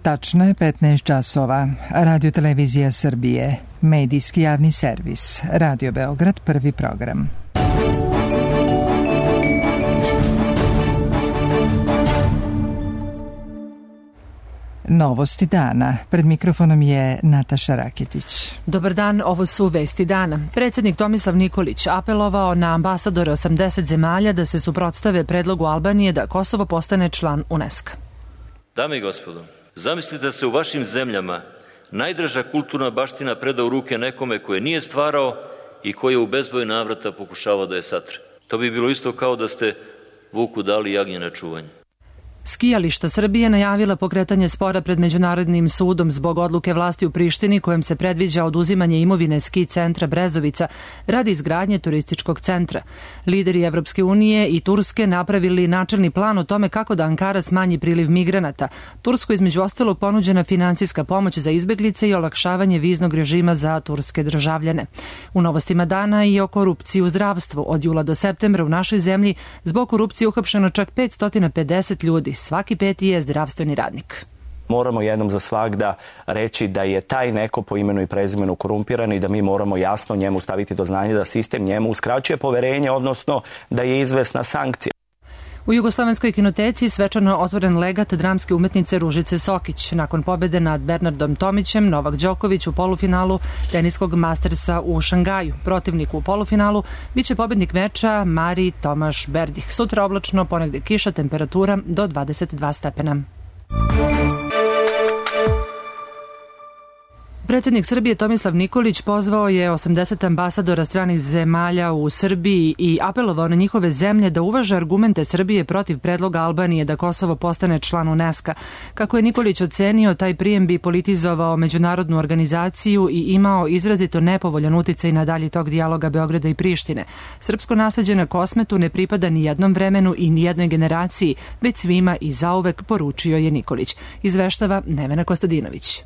Tačno je 15 časova. Radio Televizija Srbije. Medijski javni servis. Radio Beograd, prvi program. Novosti dana. Pred mikrofonom je Nataša Raketić. Dobar dan, ovo su vesti dana. Predsjednik Tomislav Nikolić apelovao na ambasadore 80 zemalja da se suprotstave predlogu Albanije da Kosovo postane član UNESCO. Dame i gospodo, zamislite da se u vašim zemljama najdraža kulturna baština preda u ruke nekome koje nije stvarao i koji je u bezbroj navrata pokušavao da je satre. To bi bilo isto kao da ste vuku dali jagnje na čuvanje. Skijališta Srbije najavila pokretanje spora pred Međunarodnim sudom zbog odluke vlasti u Prištini kojem se predviđa oduzimanje imovine ski centra Brezovica radi izgradnje turističkog centra. Lideri Evropske unije i Turske napravili načelni plan o tome kako da Ankara smanji priliv migranata. Turskoj između ostalog ponuđena finansijska pomoć za izbeglice i olakšavanje viznog režima za turske državljane. U novostima dana i o korupciji u zdravstvu. Od jula do septembra u našoj zemlji zbog korupcije uhapšeno čak 550 ljudi. Svaki peti je zdravstveni radnik. Moramo jednom za svagda reći da je taj neko po imenu i prezimenu korumpiran i da mi moramo jasno njemu staviti do znanja da sistem njemu uskraćuje poverenje, odnosno da je izvesna sankcija. U Jugoslovenskoj kinoteci svečano otvoren legat dramske umetnice Ružice Sokić. Nakon pobjede nad Bernardom Tomićem, Novak Đoković u polufinalu teniskog Mastersa u Šangaju. Protivnik u polufinalu biće pobjednik meča Mari Tomaš Berdih. Sutra oblačno, ponegde kiša, temperatura do 22 stepena. Predsjednik Srbije Tomislav Nikolić pozvao je 80 ambasadora stranih zemalja u Srbiji i apelovao na njihove zemlje da uvaže argumente Srbije protiv predloga Albanije da Kosovo postane član UNESCO. Kako je Nikolić ocenio, taj prijem bi politizovao međunarodnu organizaciju i imao izrazito nepovoljan uticaj na dalji tok dijaloga Beograda i Prištine. Srpsko nasleđe na Kosmetu ne pripada ni jednom vremenu i ni jednoj generaciji, već svima i zauvek, poručio je Nikolić. Izveštava Nevena Kostadinović.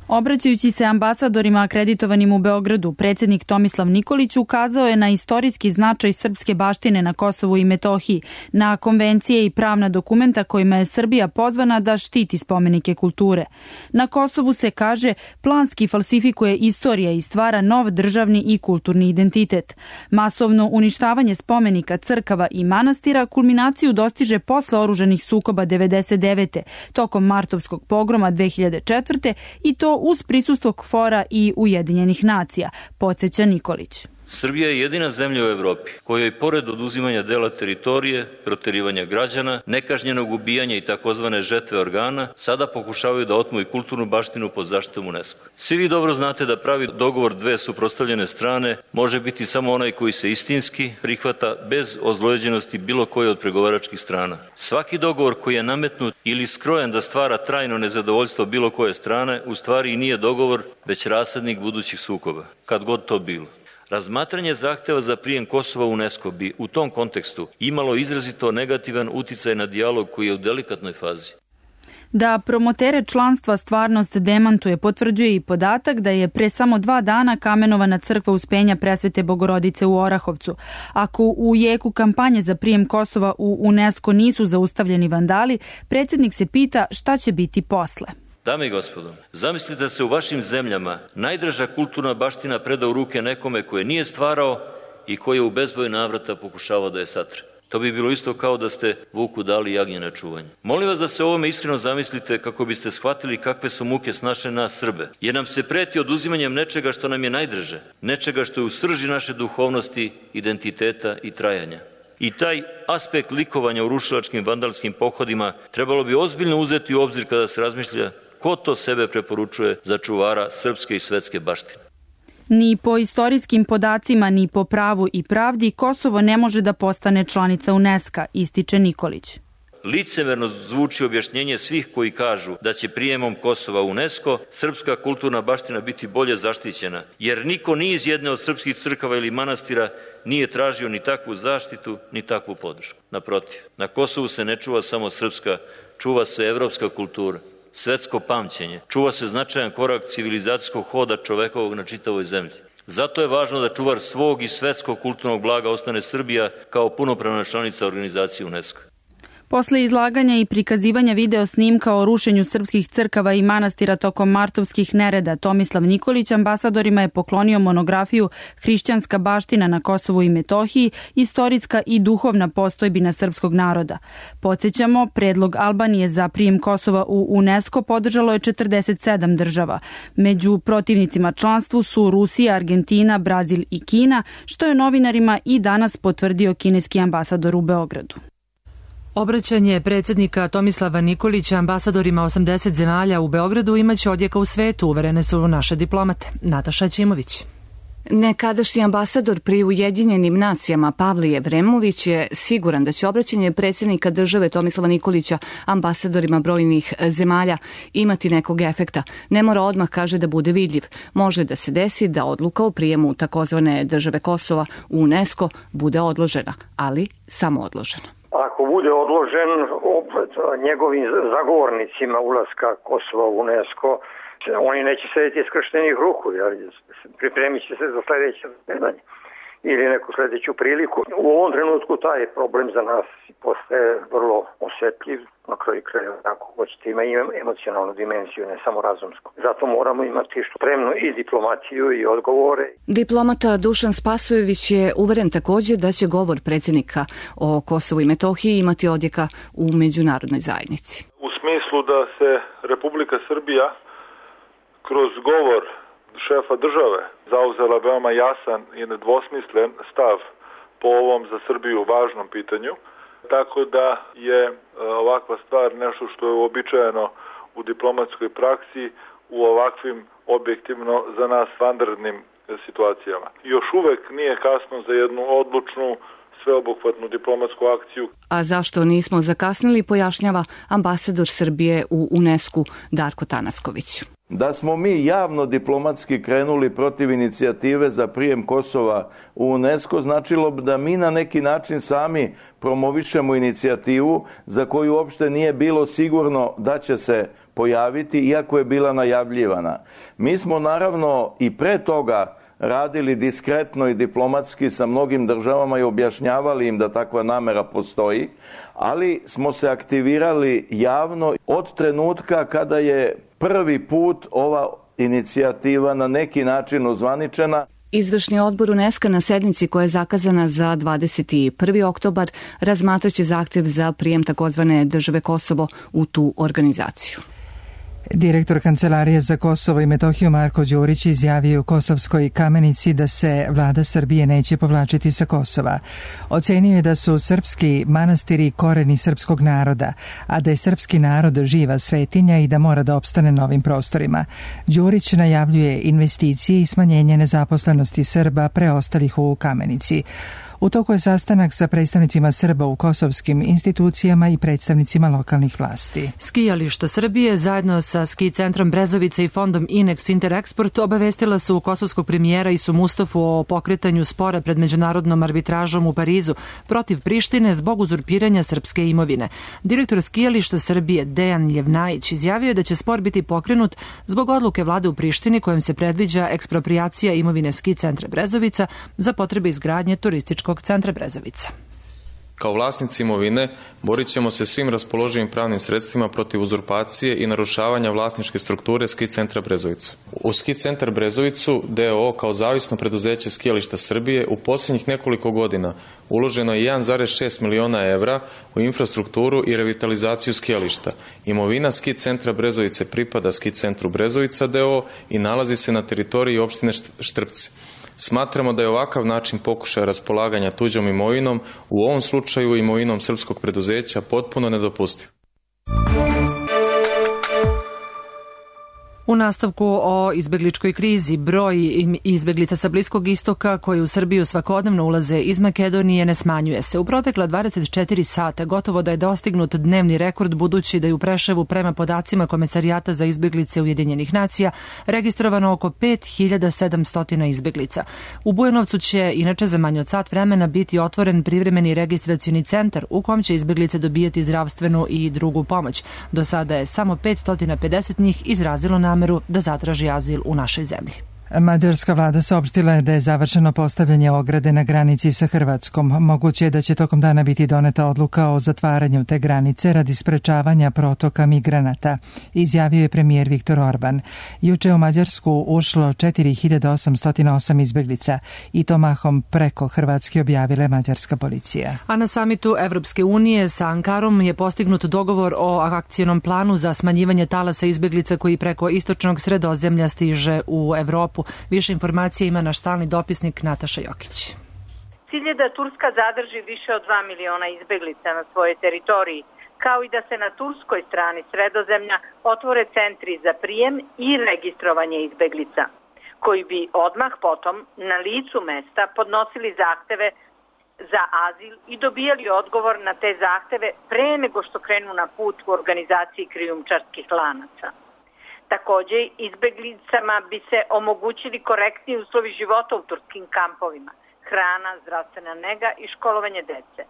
Obraćajući se ambasadorima akreditovanim u Beogradu, predsjednik Tomislav Nikolić ukazao je na istorijski značaj srpske baštine na Kosovu i Metohiji, na konvencije i pravna dokumenta kojima je Srbija pozvana da štiti spomenike kulture. Na Kosovu se, kaže, planski falsifikuje istorija i stvara nov državni i kulturni identitet. Masovno uništavanje spomenika, crkava i manastira kulminaciju dostiže posle oružanih sukoba 1999. tokom martovskog pogroma 2004. i to uz prisustvo KFOR-a i Ujedinjenih nacija, podsjeća Nikolić. Srbija je jedina zemlja u Evropi kojoj pored oduzimanja dela teritorije, proterivanja građana, nekažnjenog ubijanja i takozvane žetve organa, sada pokušavaju da otmu i kulturnu baštinu pod zaštitom UNESCO. Svi vi dobro znate da pravi dogovor dve suprotstavljene strane može biti samo onaj koji se istinski prihvata bez ozlojeđenosti bilo koje od pregovaračkih strana. Svaki dogovor koji je nametnut ili skrojen da stvara trajno nezadovoljstvo bilo koje strane, u stvari i nije dogovor, već rasadnik budućih sukoba, kad god to bilo. Razmatranje zahteva za prijem Kosova u UNESCO bi u tom kontekstu imalo izrazito negativan uticaj na dijalog koji je u delikatnoj fazi. Da promotere članstva stvarnost demantuje potvrđuje i podatak da je pre samo 2 dana kamenovana crkva Uspenja Presvete Bogorodice u Orahovcu. Ako u jeku kampanje za prijem Kosova u UNESCO nisu zaustavljeni vandali, predsjednik se pita šta će biti posle. Dame i gospodo, zamislite da se u vašim zemljama najdraža kulturna baština preda u ruke nekome koje nije stvarao i koji je u bezbroj navrata pokušavao da je satre. To bi bilo isto kao da ste vuku dali jagnje na čuvanje. Molim vas da se ovome iskreno zamislite kako biste shvatili kakve su muke snašle nas Srbe, jer nam se preti oduzimanjem nečega što nam je najdraže, nečega što je u srži naše duhovnosti, identiteta i trajanja. I taj aspekt likovanja u rušilačkim vandalskim pohodima trebalo bi ozbiljno uzeti u obzir kada se razmišlja ko to sebe preporučuje za čuvara srpske i svetske baštine. Ni po istorijskim podacima, ni po pravu i pravdi Kosovo ne može da postane članica UNESCO, ističe Nikolić. Licemerno zvuči objašnjenje svih koji kažu da će prijemom Kosova u UNESCO srpska kulturna baština biti bolje zaštićena, jer niko ni iz jedne od srpskih crkava ili manastira nije tražio ni takvu zaštitu, ni takvu podršku. Naprotiv, na Kosovu se ne čuva samo srpska, čuva se evropska kultura, svetsko pamćenje, čuva se značajan korak civilizacijskog hoda čovekovog na čitavoj zemlji. Zato je važno da čuvar svog i svetskog kulturnog blaga ostane Srbija kao punopravna članica organizacije UNESCO. Posle izlaganja i prikazivanja video snimka o rušenju srpskih crkava i manastira tokom martovskih nereda, Tomislav Nikolić ambasadorima je poklonio monografiju Hrišćanska baština na Kosovu i Metohiji, istorijska i duhovna postojbina srpskog naroda. Podsjećamo, predlog Albanije za prijem Kosova u UNESCO podržalo je 47 država. Među protivnicima članstvu su Rusija, Argentina, Brazil i Kina, što je novinarima i danas potvrdio kineski ambasador u Beogradu. Obraćanje predsjednika Tomislava Nikolića ambasadorima 80 zemalja u Beogradu imaće odjeka u svetu, uverene su naše diplomate. Nataša Ćimović. Nekadašnji ambasador pri Ujedinjenim nacijama Pavle Jevremović je siguran da će obraćanje predsjednika države Tomislava Nikolića ambasadorima brojnih zemalja imati nekog efekta. Ne mora odmah, kaže, da bude vidljiv. Može da se desi da odluka o prijemu takozvane države Kosova u UNESCO bude odložena, ali samo odložena. Ako bude odložen, opet njegovim zagovornicima ulaska Kosova u UNESCO, oni neće sedeti iskrštenih ruku, jer pripremit će se za sljedeće zasedanje ili neku sljedeću priliku. U ovom trenutku taj problem za nas postaje vrlo osjetljiv, na kraju krajeva, ako hoćete, ima i emocionalnu dimenziju, ne samo razumsku. Zato moramo imati spremnu i diplomaciju i odgovore. Diplomata Dušan Spasojević je uveren također da će govor predsjednika o Kosovu i Metohiji imati odjeka u međunarodnoj zajednici. U smislu da se Republika Srbija kroz govor šefa države zauzela veoma jasan i nedvosmislen stav po ovom za Srbiju važnom pitanju, tako da je ovakva stvar nešto što je uobičajeno u diplomatskoj praksi u ovakvim objektivno za nas vanrednim situacijama. Još uvek nije kasno za jednu odlučnu sveobuhvatnu diplomatsku akciju. A zašto nismo zakasnili, pojašnjava ambasador Srbije u UNESCO Darko Tanasković. Da smo mi javno diplomatski krenuli protiv inicijative za prijem Kosova u UNESCO, značilo bi da mi na neki način sami promovišemo inicijativu za koju uopšte nije bilo sigurno da će se pojaviti, iako je bila najavljivana. Mi smo naravno i pre toga radili diskretno i diplomatski sa mnogim državama i objašnjavali im da takva namera postoji, ali smo se aktivirali javno od trenutka kada je prvi put ova inicijativa na neki način ozvaničena. Izvršni odbor UNESCO na sednici koja je zakazana za 21. oktobar razmatraće zahtjev za prijem takozvane države Kosovo u tu organizaciju. Direktor Kancelarije za Kosovo i Metohiju Marko Đurić izjavio u Kosovskoj Kamenici da se vlada Srbije neće povlačiti sa Kosova. Ocenio je da su srpski manastiri koreni srpskog naroda, a da je srpski narod živa svetinja i da mora da opstane na ovim prostorima. Đurić najavljuje investicije i smanjenje nezaposlenosti Srba preostalih u Kamenici. U toku je sastanak sa predstavnicima Srba u kosovskim institucijama i predstavnicima lokalnih vlasti. Skijališta Srbije zajedno sa ski centrom Brezovica i fondom Inex Interexport obavestila su kosovskog premijera Isu Mustafu o pokretanju spora pred međunarodnom arbitražom u Parizu protiv Prištine zbog uzurpiranja srpske imovine. Direktor skijališta Srbije Dejan Ljevnajić izjavio je da će spor biti pokrenut zbog odluke vlade u Prištini kojom se predviđa eksproprijacija imovine ski centra Brezovica za potrebe izgradnje turističkog centra Brezovica. Kao vlasnici imovine borit ćemo se svim raspoloživim pravnim sredstvima protiv uzurpacije i narušavanja vlasničke strukture ski centra Brezovica. U ski centar Brezovicu DOO kao zavisno preduzeće skijališta Srbije u posljednjih nekoliko godina uloženo je 1,6 miliona evra u infrastrukturu i revitalizaciju skijališta. Imovina ski centra Brezovice pripada ski centru Brezovica DOO i nalazi se na teritoriji opštine Štrpce. Smatramo da je ovakav način pokušaja raspolaganja tuđom imovinom, u ovom slučaju imovinom srpskog preduzeća, potpuno nedopustiv. U nastavku o izbegličkoj krizi, broj izbeglica sa Bliskog istoka koji u Srbiju svakodnevno ulaze iz Makedonije ne smanjuje se. U protekla 24 sata gotovo da je dostignut dnevni rekord, budući da je u Preševu prema podacima Komesarijata za izbeglice Ujedinjenih nacija registrovano oko 5700 izbeglica. U Bujanovcu će inače za manje od sat vremena biti otvoren privremeni registracioni centar u kom će izbeglice dobijati zdravstvenu i drugu pomoć. Do sada je samo 550 njih izrazilo nameru da zatraži azil u našoj zemlji. Mađarska vlada saopštila je da je završeno postavljanje ograde na granici sa Hrvatskom. Moguće je da će tokom dana biti doneta odluka o zatvaranju te granice radi sprečavanja protoka migranata, izjavio je premijer Viktor Orban. Juče u Mađarsku ušlo 4808 izbeglica i to mahom preko Hrvatske, objavila mađarska policija. A na samitu Evropske unije sa Ankarom je postignut dogovor o akcionom planu za smanjivanje talasa izbeglica koji preko istočnog Sredozemlja stiže u Evropu. Više informacija ima naš stalni dopisnik Nataša Jokić. Cilj je da Turska zadrži više od 2 miliona izbeglica na svojoj teritoriji, kao i da se na turskoj strani Sredozemlja otvore centri za prijem i registrovanje izbeglica, koji bi odmah potom na licu mesta podnosili zahteve za azil i dobijali odgovor na te zahteve pre nego što krenu na put u organizaciji krijumčarskih lanaca. Takođe, izbeglicama bi se omogućili korektni uslovi života u turskim kampovima, hrana, zdravstvena nega i školovanje dece.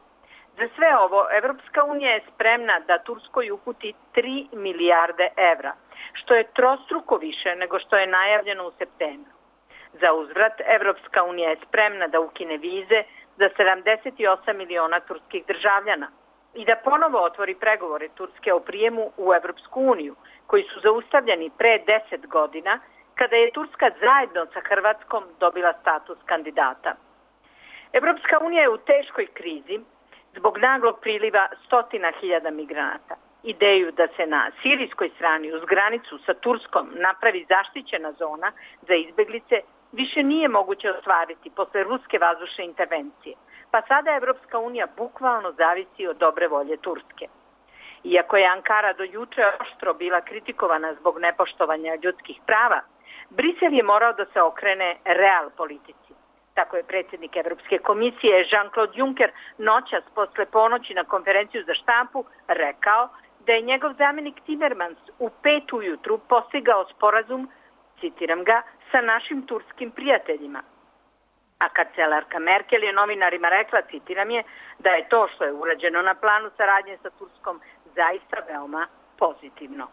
Za sve ovo, Evropska unija je spremna da Turskoj uputi 3 milijarde evra, što je trostruko više nego što je najavljeno u septembru. Za uzvrat, Evropska unija je spremna da ukine vize za 78 miliona turskih državljana i da ponovo otvori pregovore Turske o prijemu u Evropsku uniju, koji su zaustavljeni pre 10 godina, kada je Turska zajedno sa Hrvatskom dobila status kandidata. Evropska unija je u teškoj krizi zbog naglog priliva 100.000 migranata. Ideju da se na sirijskoj strani uz granicu sa Turskom napravi zaštićena zona za izbeglice više nije moguće ostvariti posle ruske vazdušne intervencije, pa sada Evropska unija bukvalno zavisi od dobre volje Turske. Iako je Ankara do juče oštro bila kritikovana zbog nepoštovanja ljudskih prava, Brisel je morao da se okrene real politici. Tako je predsjednik Evropske komisije Jean-Claude Juncker noćas posle ponoći na konferenciju za štampu rekao da je njegov zamjenik Timmermans u 5 ujutru postigao sporazum, citiram ga, sa našim turskim prijateljima. A kancelarka Merkel je novinarima rekla, citiram je, da je to što je urađeno na planu saradnje sa Turskom zaista veoma pozitivno.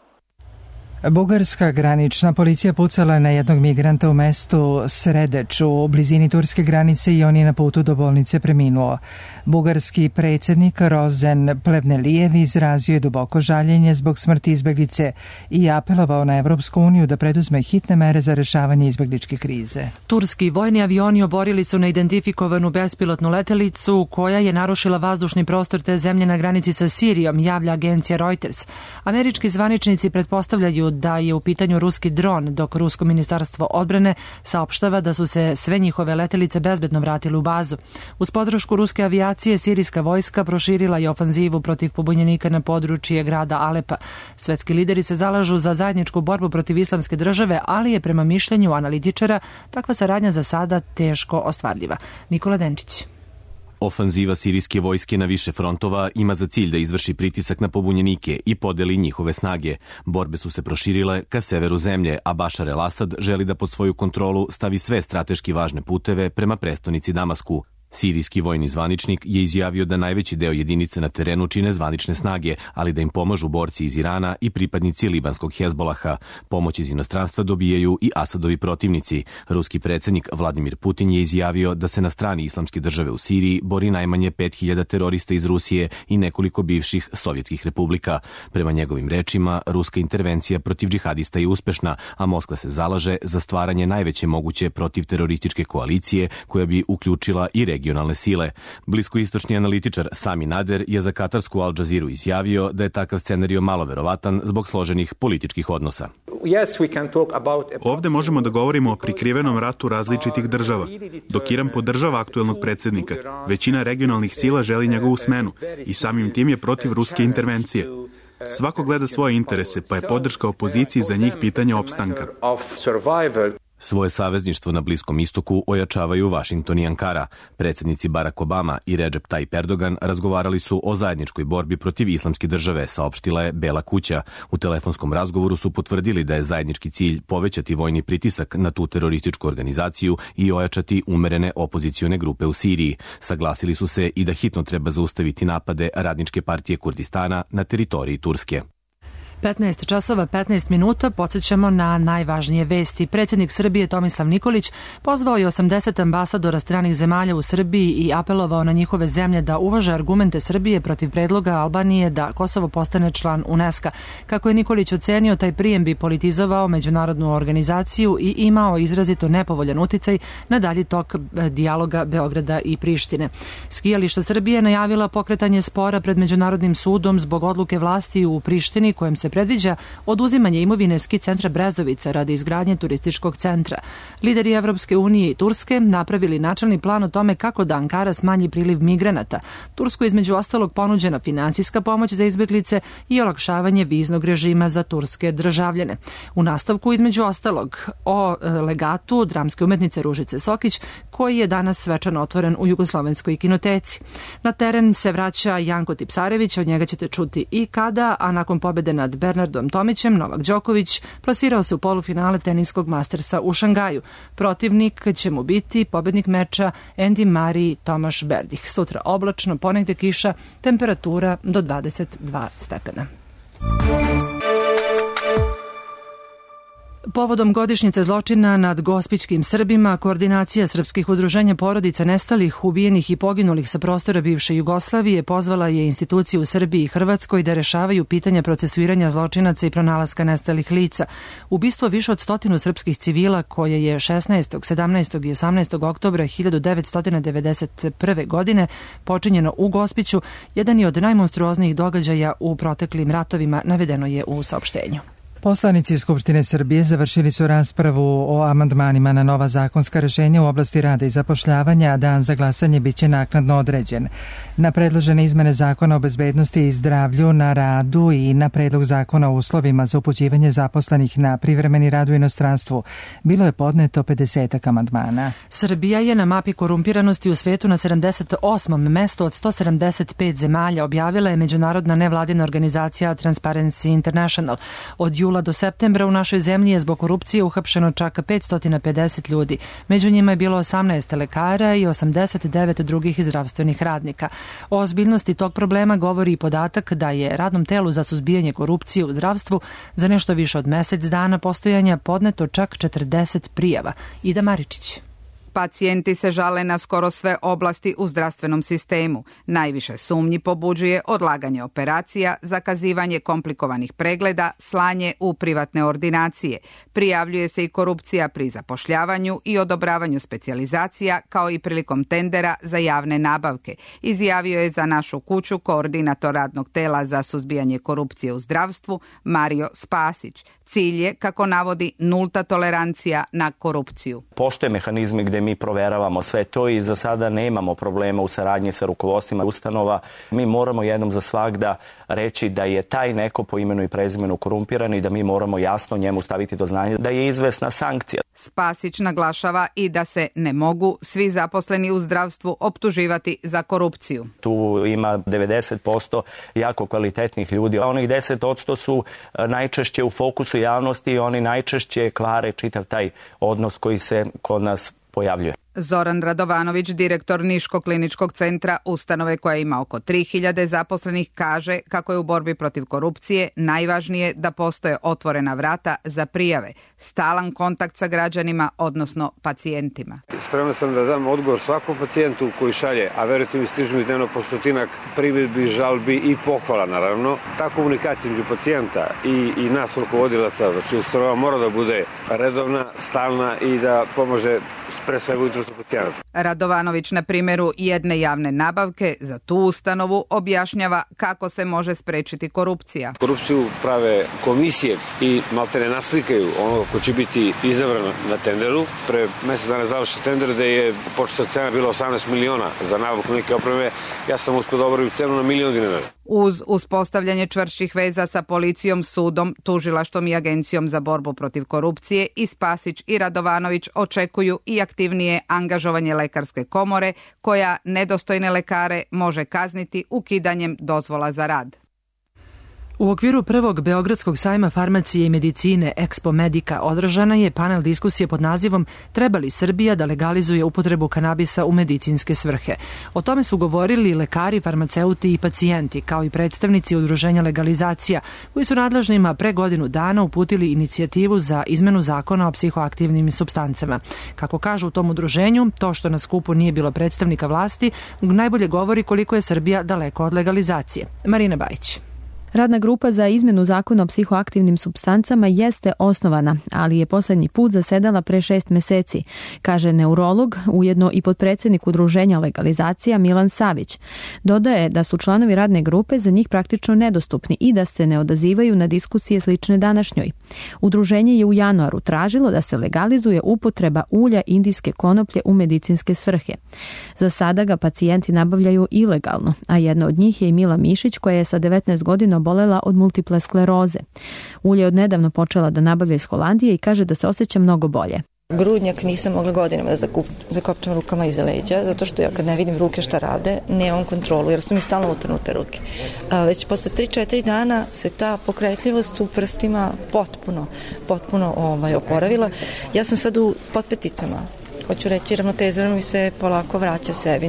Bugarska granična policija pucala na jednog migranta u mestu Sredeč u blizini turske granice i on je na putu do bolnice preminuo. Bugarski predsjednik Rozen Plevnelijev izrazio je duboko žaljenje zbog smrti izbeglice i apelovao na Evropsku uniju da preduzme hitne mere za rešavanje izbegličke krize. Turski vojni avioni oborili su neidentifikovanu bespilotnu letelicu koja je narušila vazdušni prostor te zemlje na granici sa Sirijom, javlja agencija Reuters. Američki zvaničnici pretpostavljaju da je u pitanju ruski dron, dok Rusko ministarstvo odbrane saopštava da su se sve njihove letelice bezbedno vratile u bazu. Uz podršku ruske avijacije, sirijska vojska proširila je ofanzivu protiv pobunjenika na područje grada Alepa. Svetski lideri se zalažu za zajedničku borbu protiv islamske države, ali je prema mišljenju analitičara takva saradnja za sada teško ostvarljiva. Nikola Denčić. Ofanziva sirijske vojske na više frontova ima za cilj da izvrši pritisak na pobunjenike i podeli njihove snage. Borbe su se proširile ka severu zemlje, a Bašar el-Asad želi da pod svoju kontrolu stavi sve strateški važne puteve prema prestonici Damasku. Sirijski vojni zvaničnik je izjavio da najveći deo jedinice na terenu čine zvanične snage, ali da im pomažu borci iz Irana i pripadnici libanskog Hezbolaha. Pomoć iz inostranstva dobijaju i Asadovi protivnici. Ruski predsjednik Vladimir Putin je izjavio da se na strani islamske države u Siriji bori najmanje 5000 terorista iz Rusije i nekoliko bivših sovjetskih republika. Prema njegovim rečima, ruska intervencija protiv džihadista je uspešna, a Moskva se zalaže za stvaranje najveće moguće protivterorističke koalicije koja bi uključila i regionalne sile. Bliskoistočni analitičar Sami Nader je za katarsku Al Jazeeru izjavio da je takav scenario malo verovatan zbog složenih političkih odnosa. Ovde možemo da govorimo o prikrivenom ratu različitih država. Dok Iran podržava aktuelnog predsjednika, većina regionalnih sila želi njegovu smenu i samim tim je protiv ruske intervencije. Svako gleda svoje interese, pa je podrška opoziciji za njih pitanje opstanka. Svoje savezništvo na Bliskom istoku ojačavaju Vašington i Ankara. Predsjednici Barack Obama i Recep Tayyip Erdogan razgovarali su o zajedničkoj borbi protiv islamske države, saopštila je Bela kuća. U telefonskom razgovoru su potvrdili da je zajednički cilj povećati vojni pritisak na tu terorističku organizaciju i ojačati umerene opozicione grupe u Siriji. Saglasili su se i da hitno treba zaustaviti napade Radničke partije Kurdistana na teritoriji Turske. 15 časova 15 minuta, podsjećamo na najvažnije vesti. Predsjednik Srbije Tomislav Nikolić pozvao je 80 ambasadora stranih zemalja u Srbiji i apelovao na njihove zemlje da uvaže argumente Srbije protiv predloga Albanije da Kosovo postane član UNESCO. Kako je Nikolić ocenio, taj prijem bi politizovao međunarodnu organizaciju i imao izrazito nepovoljan uticaj na dalji tok dijaloga Beograda i Prištine. Skijališta Srbije najavila pokretanje spora pred Međunarodnim sudom zbog odluke vlasti u Prištini kojem se predviđa oduzimanje imovine ski centra Brezovica radi izgradnje turističkog centra. Lideri Evropske unije i Turske napravili načelni plan o tome kako da Ankara smanji priliv migranata. Turskoj između ostalog ponuđena finansijska pomoć za izbeglice i olakšavanje viznog režima za turske državljane. U nastavku između ostalog o legatu dramske umetnice Ružice Sokić koji je danas svečano otvoren u Jugoslovenskoj kinoteci. Na teren se vraća Janko Tipsarević, od njega ćete čuti i kada, a nakon pobjede nad Bernardom Tomićem, Novak Đoković plasirao se u polufinale teniskog Mastersa u Šangaju. Protivnik će mu biti pobednik meča Andy Murray Tomaš Berdih. Sutra oblačno, ponegde kiša, temperatura do 22 stepena. Povodom godišnjice zločina nad gospićkim Srbima, koordinacija srpskih udruženja porodica nestalih, ubijenih i poginulih sa prostora bivše Jugoslavije pozvala je institucije u Srbiji i Hrvatskoj da rešavaju pitanja procesuiranja zločinaca i pronalaska nestalih lica. Ubistvo više od 100 srpskih civila koje je 16., 17. i 18. oktobra 1991. godine počinjeno u Gospiću, jedan je od najmonstruoznijih događaja u proteklim ratovima, navedeno je u saopštenju. Poslanici Skupštine Srbije završili su raspravu o amandmanima na nova zakonska rešenja u oblasti rada i zapošljavanja, a dan za glasanje biće naknadno određen. Na predložene izmene Zakona o bezbednosti i zdravlju na radu i na predlog Zakona o uslovima za upućivanje zaposlenih na privremeni rad u inostranstvu bilo je podneto 50 amandmana. Srbija je na mapi korumpiranosti u svetu na 78. mestu od 175 zemalja, objavila je međunarodna nevladina organizacija Transparency International. Od jula do septembra u našoj zemlji je zbog korupcije uhapšeno čak 550 ljudi. Među njima je bilo 18 lekara i 89 drugih zdravstvenih radnika. O ozbiljnosti tog problema govori i podatak da je radnom telu za suzbijanje korupcije u zdravstvu za nešto više od mesec dana postojanja podneto čak 40 prijava. Ida Maričić. Pacijenti se žale na skoro sve oblasti u zdravstvenom sistemu. Najviše sumnji pobuđuje odlaganje operacija, zakazivanje komplikovanih pregleda, slanje u privatne ordinacije. Prijavljuje se i korupcija pri zapošljavanju i odobravanju specijalizacija, kao i prilikom tendera za javne nabavke. Izjavio je za Našu kuću koordinator radnog tela za suzbijanje korupcije u zdravstvu Mario Spasić. Cilj je, kako navodi, nulta tolerancija na korupciju. Postoje mehanizmi gde mi proveravamo sve to i za sada nemamo problema u saradnji sa rukovodstvima ustanova. Mi moramo jednom za svagda reći da je taj neko po imenu i prezimenu korumpiran i da mi moramo jasno njemu staviti do znanja da je izvesna sankcija. Spasić naglašava i da se ne mogu svi zaposleni u zdravstvu optuživati za korupciju. Tu ima 90% jako kvalitetnih ljudi, a onih 10% su najčešće u fokusu javnosti i oni najčešće kvare čitav taj odnos koji se kod nas pojavljuje. Zoran Radovanović, direktor Niškog kliničkog centra, ustanove koja ima oko 3000 zaposlenih, kaže kako je u borbi protiv korupcije najvažnije da postoje otvorena vrata za prijave, stalan kontakt sa građanima, odnosno pacijentima. Spreman sam da dam odgovor svakom pacijentu koji šalje, a verujte mi, stižu mi dnevno po 100 primjedbi, žalbi i pohvala, naravno. Ta komunikacija među pacijenta i nas rukovodilaca, znači ustanova, mora da bude redovna, stalna i da pomože pre svega u interesu pacijenata. Radovanović na primjeru jedne javne nabavke za tu ustanovu objašnjava kako se može sprečiti korupcija. Korupciju prave komisije i maltene naslikaju onoga ko će biti izabran na tenderu. Pre mesec dana završi tender gde je početna cena bila 18 miliona za nabavku neke opreme. Ja sam uspio da obavim cenu na $1 milion. Uz uspostavljanje čvršćih veza sa policijom, sudom, tužilaštvom i Agencijom za borbu protiv korupcije, i Spasić i Radovanović očekuju i aktivnije angažovanje lekarske komore koja nedostojne lekare može kazniti ukidanjem dozvola za rad. U okviru prvog Beogradskog sajma farmacije i medicine Expo Medica održana je panel diskusije pod nazivom Treba li Srbija da legalizuje upotrebu kanabisa u medicinske svrhe? O tome su govorili lekari, farmaceuti i pacijenti, kao i predstavnici udruženja legalizacija, koji su nadležnima pre godinu dana uputili inicijativu za izmenu zakona o psihoaktivnim supstancama. Kako kažu u tom udruženju, to što na skupu nije bilo predstavnika vlasti najbolje govori koliko je Srbija daleko od legalizacije. Marina Bajić. Radna grupa za izmenu zakona o psihoaktivnim supstancama jeste osnovana, ali je poslednji put zasedala pre 6 meseci, kaže neurolog, ujedno i potpredsednik udruženja legalizacija Milan Savić. Dodaje da su članovi radne grupe za njih praktično nedostupni i da se ne odazivaju na diskusije slične današnjoj. Udruženje je u januaru tražilo da se legalizuje upotreba ulja indijske konoplje u medicinske svrhe. Za sada ga pacijenti nabavljaju ilegalno, a jedna od njih je i Mila Mišić, koja je sa 19 godina obolela od multiple skleroze. Ulje je odnedavno počela da nabavlja iz Holandije i kaže da se osjeća mnogo bolje. Grudnjak nisam mogla godinama da zakopčam rukama iza leđa, zato što ja kad ne vidim ruke šta rade, nemam kontrolu, jer su mi stalno utrnute ruke. Već posle 3-4 dana se ta pokretljivost u prstima potpuno oporavila. Ja sam sad u potpeticama. Hoću reći, ravnoteza mi se polako vraća sebi.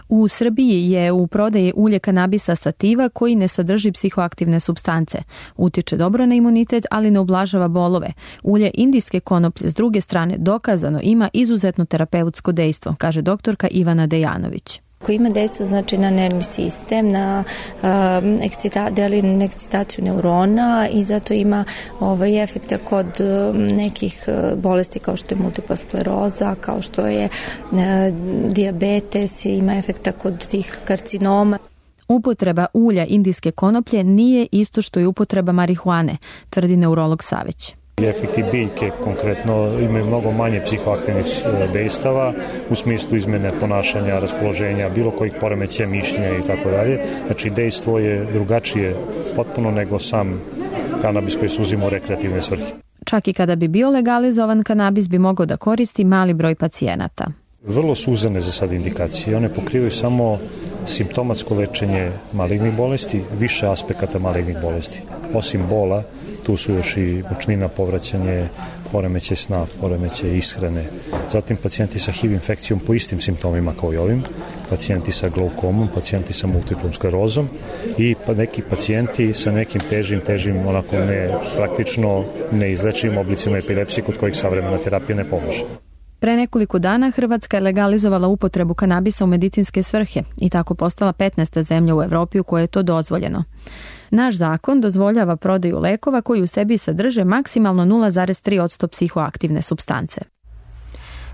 U Srbiji je u prodaji ulje kanabisa sativa koji ne sadrži psihoaktivne supstance. Utiče dobro na imunitet, ali ne ublažava bolove. Ulje indijske konoplje s druge strane dokazano ima izuzetno terapeutsko dejstvo, kaže doktorka Ivana Dejanović. Koji ima dejstvo znači na nervni sistem, na ekscitaciju neurona i zato ima efekta kod nekih bolesti kao što je multipla skleroza, kao što je dijabetes, ima efekta kod tih karcinoma. Upotreba ulja indijske konoplje nije isto što i upotreba marihuane, tvrdi neurolog Savić. Efekti biljke konkretno imaju mnogo manje psihoaktivnih dejstava u smislu izmene ponašanja, raspoloženja, bilo kojih poremećaja mišljenja i tako dalje. Znači dejstvo je drugačije potpuno nego sam kanabis koji se uzima u rekreativne svrhe. Čak i kada bi bio legalizovan, kanabis bi mogao da koristi mali broj pacijenata. Vrlo su uzane za sad indikacije. One pokrivaju samo simptomatsko lečenje malignih bolesti, više aspekata malignih bolesti. Osim bola, tu su još i mučnina, povraćanje, poremećaj sna, poremećaj ishrane. Zatim pacijenti sa HIV infekcijom po istim simptomima kao i ovim, pacijenti sa glaukomom, pacijenti sa multiplom sklerozom i neki pacijenti sa nekim težim, onako praktično neizlečivim oblicima epilepsije kod kojih savremena terapija ne pomaže. Pre nekoliko dana Hrvatska je legalizovala upotrebu kanabisa u medicinske svrhe i tako postala 15. zemlja u Evropi u kojoj je to dozvoljeno. Naš zakon dozvoljava prodaju lekova koji u sebi sadrže maksimalno 0,3% psihoaktivne supstance.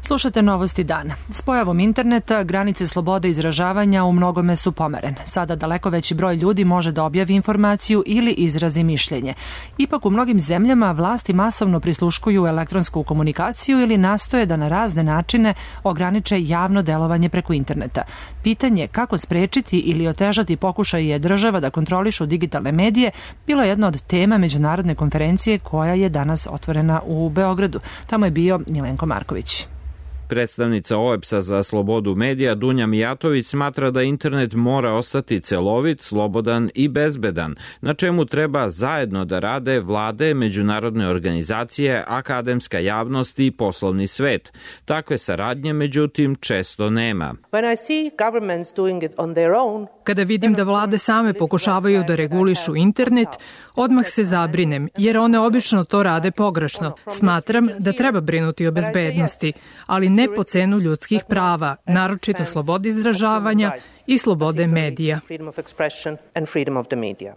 Slušate Novosti dana. S pojavom interneta, granice slobode izražavanja u mnogome su pomerene. Sada daleko veći broj ljudi može da objavi informaciju ili izrazi mišljenje. Ipak u mnogim zemljama vlasti masovno prisluškuju elektronsku komunikaciju ili nastoje da na razne načine ograniče javno delovanje preko interneta. Pitanje kako sprečiti ili otežati pokušaje država da kontrolišu digitalne medije bilo je jedna od tema međunarodne konferencije koja je danas otvorena u Beogradu. Tamo je bio Milenko Marković. Predstavnica OEBS-a za slobodu medija Dunja Mijatović smatra da internet mora ostati celovit, slobodan i bezbedan, na čemu treba zajedno da rade vlade, međunarodne organizacije, akademska javnost i poslovni svet. Takve saradnje, međutim, često nema. Kada vidim da vlade same pokušavaju da regulišu internet, odmah se zabrinem, jer one obično to rade pogrešno. Smatram da treba brinuti o bezbednosti, ali ne po cenu ljudskih prava, naročito slobode izražavanja i slobode medija.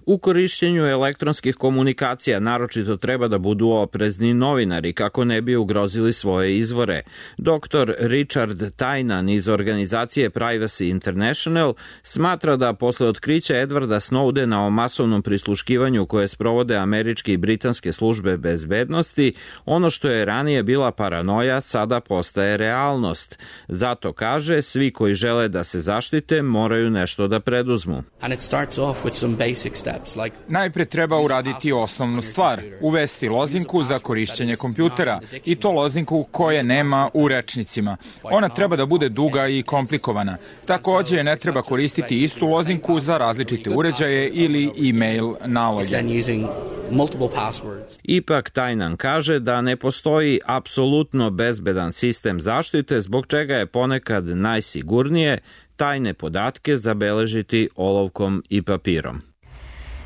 U korišćenju elektronskih komunikacija naročito treba da budu oprezni novinari kako ne bi ugrozili svoje izvore. Dr. Richard Tynan iz organizacije Privacy International smatra da posle otkrića Edwarda Snowdena o masovnom prisluškivanju koje sprovode američke i britanske službe bezbednosti, ono što je ranije bila paranoja sada postaje realnost. Zato kaže, svi koji žele da se zaštite moraju nešto da preduzmu. Najpre treba uraditi osnovnu stvar, uvesti lozinku za korišćenje kompjutera i to lozinku koje nema u rečnicima. Ona treba da bude duga i komplikovana. Takođe ne treba koristiti istu lozinku za različite uređaje ili e-mail naloge. Ipak Tajnan kaže da ne postoji apsolutno bezbedan sistem zaštite, zbog čega je ponekad najsigurnije tajne podatke zabeležiti olovkom i papirom.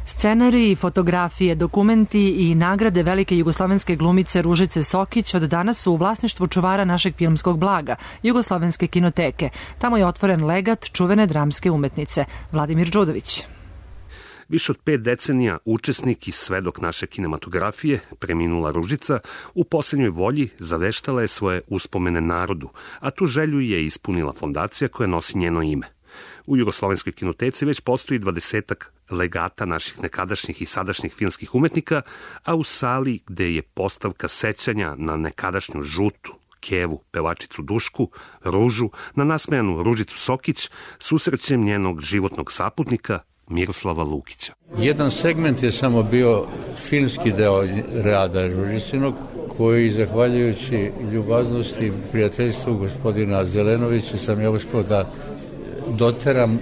Scenariji, fotografije, dokumenti i nagrade velike jugoslovenske glumice Ružice Sokić od danas su u vlasništvu čuvara našeg filmskog blaga, Jugoslovenske kinoteke. Tamo je otvoren legat čuvene dramske umetnice. Vladimir Đudović. Više od 5 decenija učesnik i svedok naše kinematografije, preminula Ružica, u poslednjoj volji zaveštala je svoje uspomene narodu, a tu želju je ispunila fondacija koja nosi njeno ime. U Jugoslovenskoj kinoteci već postoji 20-ak legata naših nekadašnjih i sadašnjih filmskih umetnika, a u sali gde je postavka sećanja na nekadašnju Žutu, Kevu, pevačicu Dušku, Ružu, na nasmejanu Ružicu Sokić, susrećem njenog životnog saputnika Miroslava Lukića. Jedan segment je samo bio filmski deo rada Ružicinog, koji, zahvaljujući ljubaznosti i prijateljstvu gospodina Zelenovića, sam ja uspio da doteram,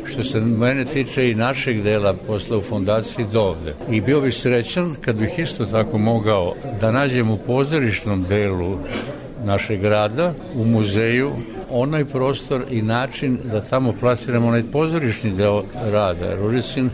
što se mene tiče i našeg dela posla u fondaciji, do ovde. I bio bih srećan kad bih isto tako mogao da nađem u pozorišnom delu našeg grada, u muzeju, onaj prostor i način da tamo plasiramo onaj pozorišni deo rada Ružicin,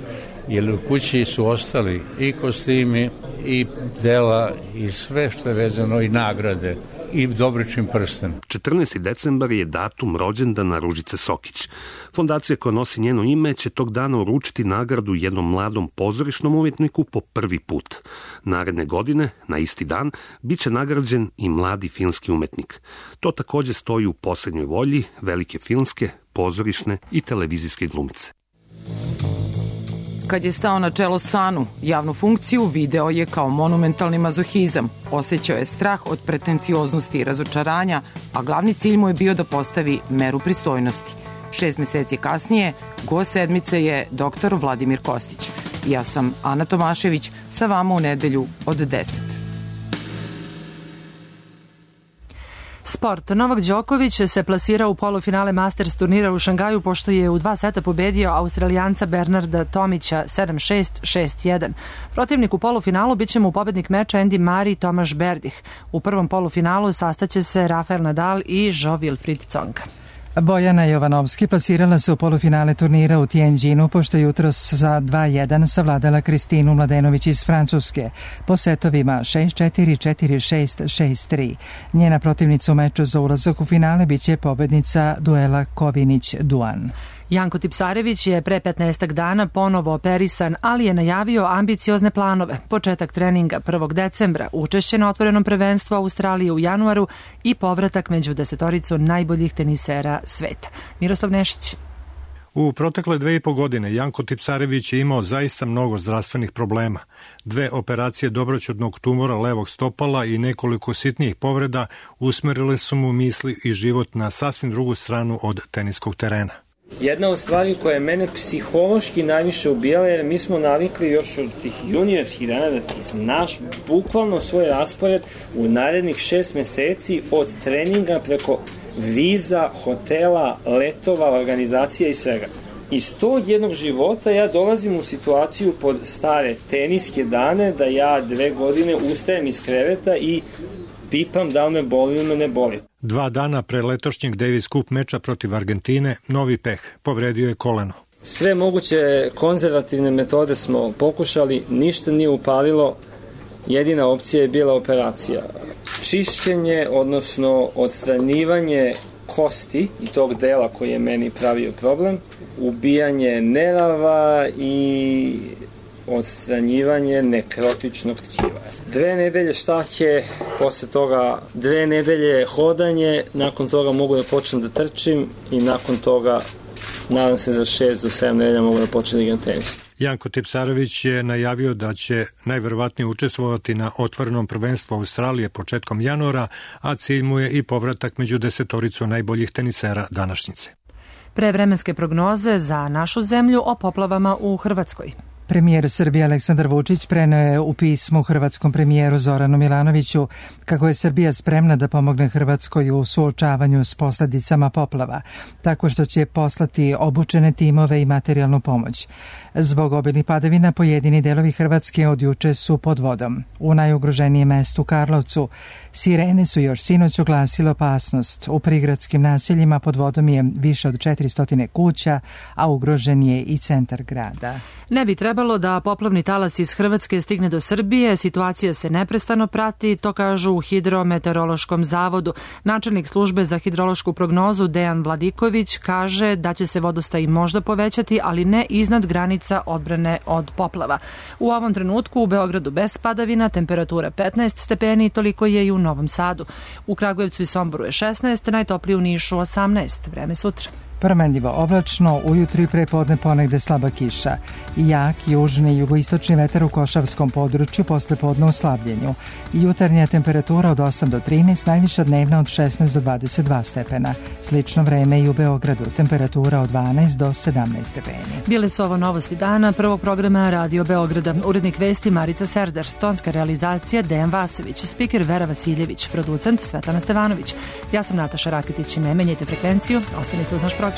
jer u kući su ostali i kostimi, i dela, i sve što je vezano, i nagrade, i Dobričin prsten. 14. decembar je datum rođendana Ružice Sokić. Fondacija koja nosi njeno ime će tog dana uručiti nagradu jednom mladom pozorišnom umetniku po prvi put. Naredne godine, na isti dan, bit će nagrađen i mladi filmski umetnik. To takođe stoji u poslednjoj volji velike filmske, pozorišne i televizijske glumice. Kad je stao na čelo SANU, javnu funkciju video je kao monumentalni mazohizam. Osjećao je strah od pretencioznosti i razočaranja, a glavni cilj mu je bio da postavi meru pristojnosti. 6 meseci kasnije, gost sedmice je dr. Vladimir Kostić. Ja sam Ana Tomašević, sa vama u nedelju od 10. Sport. Novak Đoković se plasirao u polufinale Masters turnira u Šangaju pošto je u 2 seta pobedio Australijanca Bernarda Tomića 7-6, 6-1. Protivnik u polufinalu biće mu pobednik meča Andy Murray i Tomaš Berdih. U prvom polufinalu sastaće se Rafael Nadal i Jo-Wilfried Tsonga. Bojana Jovanovski plasirala se u polufinale turnira u Tianjinu pošto je jutros za 2-1 savladala Kristinu Mladenović iz Francuske po setovima 6-4, 4-6, 6-3. Njena protivnica u meču za ulazak u finale biće pobednica duela Kovinić-Duan. Janko Tipsarević je pre 15 dana ponovo operisan, ali je najavio ambiciozne planove. Početak treninga 1. decembra, učešće na otvorenom prvenstvu Australije u januaru i povratak među 10 najboljih tenisera sveta. Miroslav Nešić. U protekle 2,5 godine Janko Tipsarević je imao zaista mnogo zdravstvenih problema. 2 operacije dobroćudnog tumora levog stopala i nekoliko sitnijih povreda usmerile su mu misli i život na sasvim drugu stranu od teniskog terena. Jedna od stvari koja je mene psihološki najviše ubijala je mi smo navikli još od tih juniorskih dana da ti znaš bukvalno svoj raspored u narednih 6 meseci od treninga preko viza, hotela, letova, organizacija i svega. Iz tog jednog života ja dolazim u situaciju pod stare teniske dane da ja 2 godine ustajem iz kreveta i pipam da li me boli ili me ne boli. 2 dana pre letošnjeg Davis Cup meča protiv Argentine, novi peh, povredio je koleno. Sve moguće konzervativne metode smo pokušali, ništa nije upalilo, jedina opcija je bila operacija. Čišćenje, odnosno odstranjivanje kosti i tog dela koji je meni pravio problem, ubijanje nerava i odstranjivanje nekrotičnog tkiva. 2 nedelje štake, posle toga 2 nedelje hodanje, nakon toga mogu da počnem da trčim i nakon toga nadam se za 6 do 7 nedelja mogu da počnem da igram tenis. Janko Tipsarević je najavio da će najverovatnije učestvovati na otvorenom prvenstvu Australije početkom januara, a cilj mu je i povratak među 10 najboljih tenisera današnjice. Prevremenske prognoze za našu zemlju o poplavama u Hrvatskoj. Premijer Srbije Aleksandar Vučić preneo je u pismu hrvatskom premijeru Zoranu Milanoviću kako je Srbija spremna da pomogne Hrvatskoj u suočavanju s posledicama poplava, tako što će poslati obučene timove i materijalnu pomoć. Zbog obilnih padavina pojedini delovi Hrvatske od juče su pod vodom. U najugroženijem mestu Karlovcu sirene su još sinoć oglasile opasnost. U prigradskim naseljima pod vodom je više od 400 kuća, a ugrožen je i centar grada. Ne bi trebalo da poplavni talas iz Hrvatske stigne do Srbije, situacija se neprestano prati, to kažu u Hidrometeorološkom zavodu. Načelnik službe za hidrološku prognozu Dejan Vladiković kaže da će se vodostaj možda povećati, ali ne iznad granica odbrane od poplava. U ovom trenutku u Beogradu bez padavina, temperatura 15 stepeni, toliko je i u Novom Sadu. U Kragujevcu i Somboru je 16, najtoplije u Nišu 18. Vreme sutra. Promenljivo oblačno, ujutru i prepodne ponegde slaba kiša. Jak južni i jugoistočni vetar u Košavskom području, posle podne u slabljenju. Jutarnja temperatura od 8 do 13, najviša dnevna od 16 do 22 stepena. Slično vreme i u Beogradu, temperatura od 12 do 17 stepeni. Bile su ovo novosti dana prvog programa Radio Beograda. Urednik vesti Marica Serdar, tonska realizacija Dejan Vasović, spiker Vera Vasiljević, producent Svetlana Stevanović. Ja sam Nataša Raketić, ne menjajte frekvenciju, ostanite uz naš program.